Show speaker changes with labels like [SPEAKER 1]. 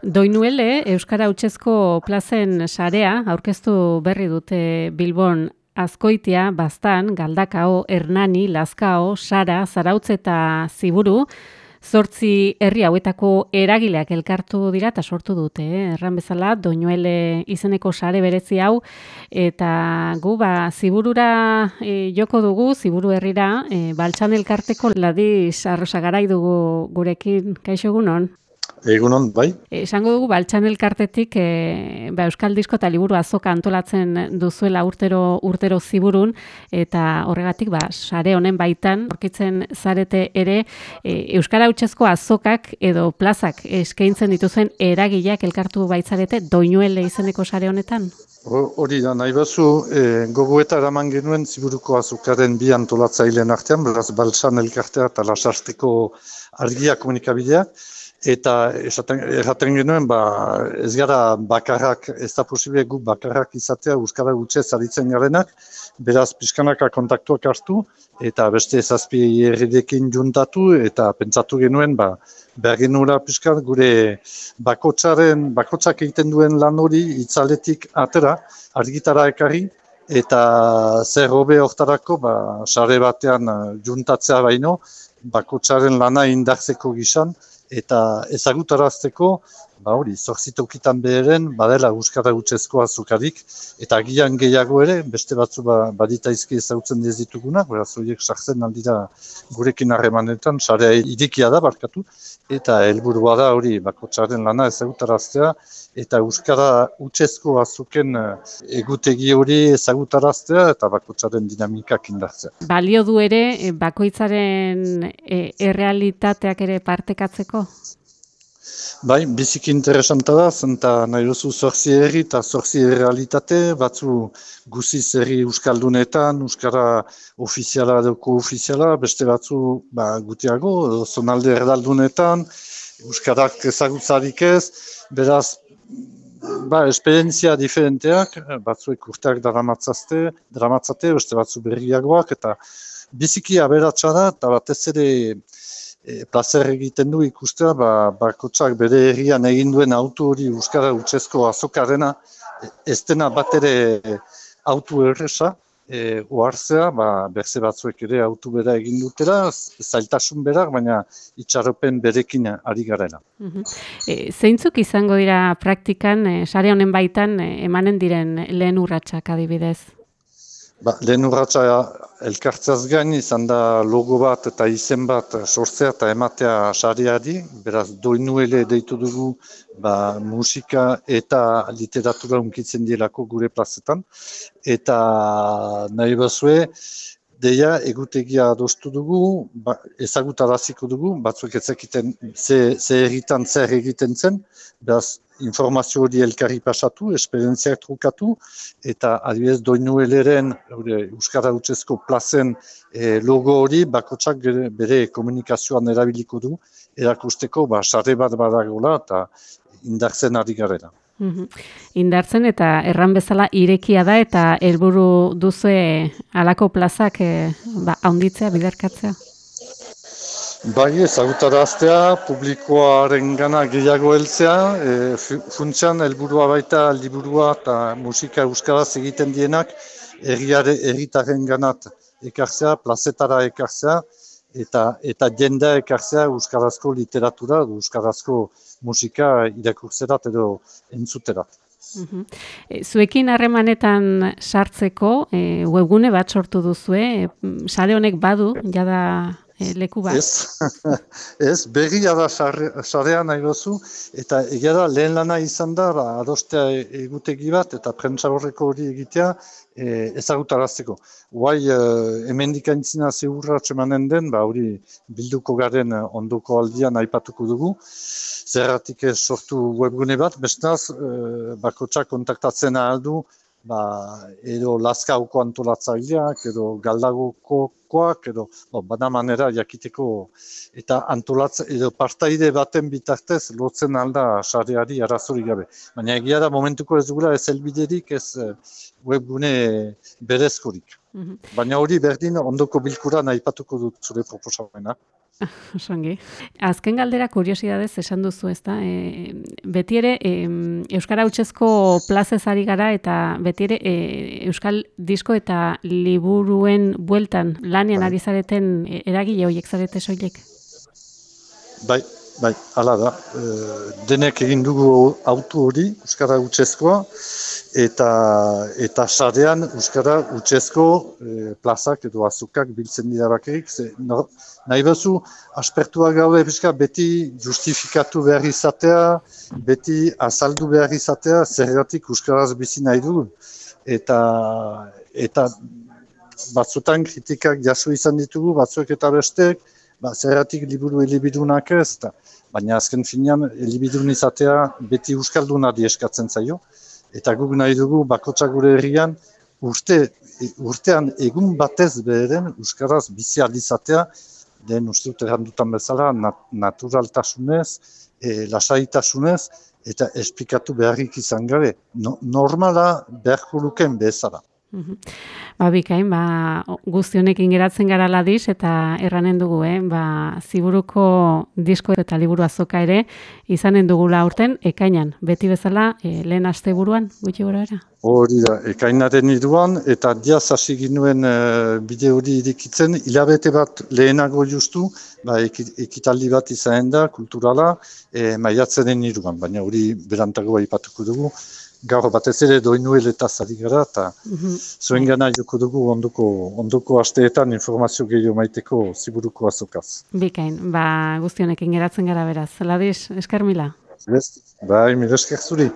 [SPEAKER 1] Doinuele Euskara Hutsezko plazen sarea aurkeztu berri dute Bilbon Azkoitia, Baztan, Galdakao, Hernani, Lazkao, Sara, Zarautz eta Ziburu. 8 herri hauetako eragileak elkartu dira eta sortu dute, erran bezala, Doinuele izeneko sare berezi hau, eta gu Ziburura joko dugu, Ziburu herrira, Baltsan elkarteko Ladis Arrosagarai dugu gurekin, kaixo egunon?
[SPEAKER 2] Egunon, bai.
[SPEAKER 1] Esango dugu Baltsan elkartetik Euskal Disko eta Liburu Azoka antolatzen duzuela urtero Ziburun, eta horregatik sare honen baitan aurkitzen zarete ere Euskara Hutsezko azokak edo plazak eskaintzen dituzen eragileak elkartu baitzarete Doinuele izeneko sare honetan?
[SPEAKER 2] Hori da, nahi bazu, gogoeta eraman genuen Ziburuko azokaren bi antolatzaileen artean, beraz Baltsan elkartea eta Lasarteko argia komunikabidea. Eta erraten genuen, ez gara bakarrak, ez da posible gu bakarrak izatea Euskara Hutsez aritzen garenak, beraz pixkanaka kontaktuak hartu, eta beste 7 herrirekin juntatu, eta pentsatu genuen, behar genuela pixkat gure bakotzak egiten duen lan hori itzaletik atera, argitara ekarri, eta zer hobe hortarako, sare batean juntatzea baino, bakotzaren lana indartzeko gisan, eta ezagutarazteko, 8 tokitan beheren, badela Euskara Hutsezko azokarik, eta agian gehiago ere, beste batzu baditaizki ezagutzen ez ditugunak, beraz horiek sartzen aldira gurekin harremanetan, sarea irekia da barkatu, eta helburua da hori bakotzaren lana ezagutaraztea, eta Euskara Hutsezko azoken egutegi hori ezagutaraztea, eta bakotzaren dinamikak indartzea.
[SPEAKER 1] Balio du ere, bakoitzaren errealitateak ere partekatzeko?
[SPEAKER 2] Bai, biziki interesanta da, zenta nahi duzu 8 herri eta 8 errealitate, batzu guziz herri euskaldunetan, euskara ofiziala edo koofiziala, beste batzu gutiago, zonalde erdaldunetan, euskarak ezagutzarik ez, beraz, esperientzia diferenteak, batzuek urteak daramatzate, beste batzu berriagoak, eta biziki aberatsa da, eta batez ere plazer egiten du ikustea, bakotzak bere herrian egin duen auto hori Euskara Hutsezko azokarena, ez dena bat ere auto erresa, ohartzea, berze batzuek ere auto bera egin dutela, zailtasun berak, baina itxaropen berekin ari garela.
[SPEAKER 1] Zeintzuk izango dira praktikan, sare honen baitan emanen diren lehen urratsak adibidez?
[SPEAKER 2] Lehen urratsa elkartzeaz gain izan da logo bat eta izen bat sortzea eta ematea sareari, beraz Doinuele deitu dugu musika eta literatura hunkitzen dielako gure plazetan, eta nahi bazue, deia egutegia adostu dugu, ezagutaraziko dugu, batzuek ezakiten ze herritan zer egiten zen, beraz informazio hori elkarri pasatu, esperientziak trukatu, eta adibidez Doinueleren Euskara Hutsezko plazen logo hori bakotzak bere komunikazioan erabiliko du, erakusteko sare bat badagoela eta indartzen ari garela.
[SPEAKER 1] Indartzen eta erran bezala irekia da eta helburu duzue halako plazak handitzea, biderkatzea?
[SPEAKER 2] Bai, ezagutaraztea, publikoarengana gehiago heltzea, funtsean helburua baita liburua eta musika euskaraz egiten dienak herritarrenganat ekartzea, plazetara ekartzea, eta jendea ekartzea euskarazko literatura, euskarazko musika irakurtzerat edo entzuterat.
[SPEAKER 1] Zuekin harremanetan sartzeko webgune bat sortu duzue, sare honek badu, jada leku bat?
[SPEAKER 2] Ez, berria da sarea nahi gozu, eta egia da lehen lana izan da, adostea egutegi bat eta prentsa horreko hori egitea ezagutarazteko. Guai, hemendik aintzina zehurratxe emanen den, hori bilduko garen ondoko aldian aipatuko dugu. Zerratik ez sortu webgune bat, bestaz, bakotxak kontaktatzen aldu, edo Lazkaoko antolatzaileak, edo Galdagokoak, edo bada manera jakiteko, eta edo partaide baten bitartez lotzen alda sareari arazorik gabe. Baina egia da momentuko ez dugula ez helbiderik, ez webgune berezkorik. Baina hori berdin ondoko bilkuran aipatuko dut zure proposamena.
[SPEAKER 1] Osongi. Azken galdera kuriosidadez esan duzu, ezta? Beti ere euskara hutsezko plazez ari gara eta beti ere euskal disko eta liburuen bueltan lanean
[SPEAKER 2] Bai.
[SPEAKER 1] ari zareten eragile horiek zarete soilik.
[SPEAKER 2] Bai, hala da. Denek egin dugu autu hori, euskara hutsezkoa, eta sarean euskara hutsezko plazak edo azukak biltzen dira bakarrik. Nahi bezu, aspertuak gaude pixka beti justifikatu behar izatea, beti azaldu behar izatea, zergatik euskaraz bizi nahi dugu. Eta batzutan kritikak jaso izan ditugu, batzuek eta bestek, zergatik liburu elibidunak ez, baina azken finean elibidun izatea beti euskaldunari eskatzen zaio. Eta guk nahi dugu bakotsak gure herrian urtean egun batez beheren euskaraz bizi ahal izatea, den uste dut errandutan bezala naturaltasunez, lasaitasunez, eta esplikatu beharrik izan gabe. Normala beharko luken bezala.
[SPEAKER 1] Bikain, guzti honekin geratzen gara ladiz eta erranen dugu, ziburuko disko eta liburu azoka ere izanen dugula aurten ekainan, beti bezala lehen asteburuan gutxi gorabehera.
[SPEAKER 2] Hori da, ekainaren 3 eta diaz hasi ginuen bide hori irikitzen, hilabete bat lehenago justu, ekitaldi bat izanen da, kulturala, maiatzaren 3, baina hori berantago aipatuko dugu. Gaur batez ere doinueletaz ari gara, eta zuen gana joko dugu ondoko asteetan informazio gehiago maiteko ziburuko azokaz.
[SPEAKER 1] Bikain, guzti honekin geratzen gara beraz. Ladiz, esker mila.
[SPEAKER 2] Bai, mila esker zuri.